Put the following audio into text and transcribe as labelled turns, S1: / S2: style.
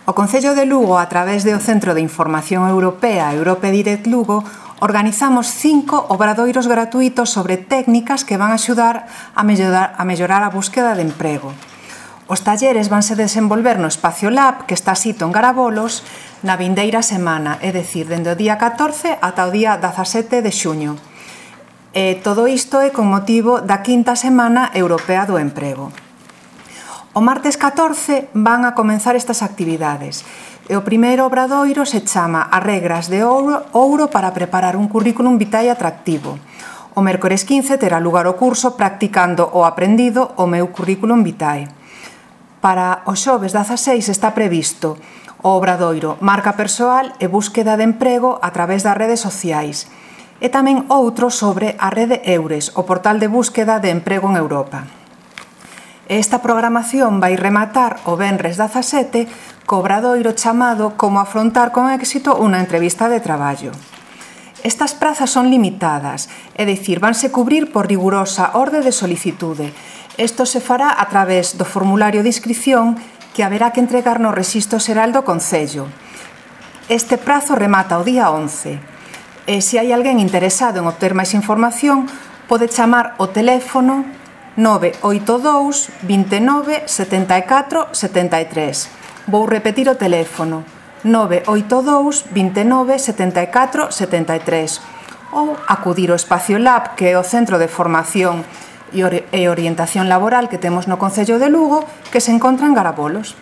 S1: O Concello de Lugo, a través do Centro de Información Europea Europe Direct Lugo, organizamos 5 obradoiros gratuitos sobre técnicas que van a axudar a mellorar a búsqueda de emprego. Os talleres vanse desenvolver no Espacio Lab, que está sito en Garabolos, na vindeira semana, é dicir, dende o día 14 ata o día 17 de xuño. Todo isto é con motivo da 5ª Semana Europea do Emprego. O martes 14 van a comenzar estas actividades e o primeiro obradoiro se chama As regras de ouro para preparar un currículum vitae atractivo. O mércores 15 terá lugar o curso Practicando o aprendido o meu currículum vitae. Para o xoves 16 está previsto o obradoiro Marca persoal e búsqueda de emprego a través das redes sociais e tamén outro sobre a rede Eures, o portal de búsqueda de emprego en Europa. Esta programación vai rematar o venres 17 co obradoiro chamado Como afrontar con éxito unha entrevista de traballo. Estas prazas son limitadas, é dicir, vanse cubrir por rigurosa orde de solicitude. Isto se fará a través do formulario de inscripción que haberá que entregar no Rexistro Xeral do Concello. Este prazo remata o día 11. E se hai alguén interesado en obter máis información, pode chamar o teléfono 982 29 74 73. Vou repetir o teléfono 982 29 74 73 ou acudir ao Espacio Lab, que é o centro de formación e orientación laboral que temos no Concello de Lugo, que se encontra en Garabolos.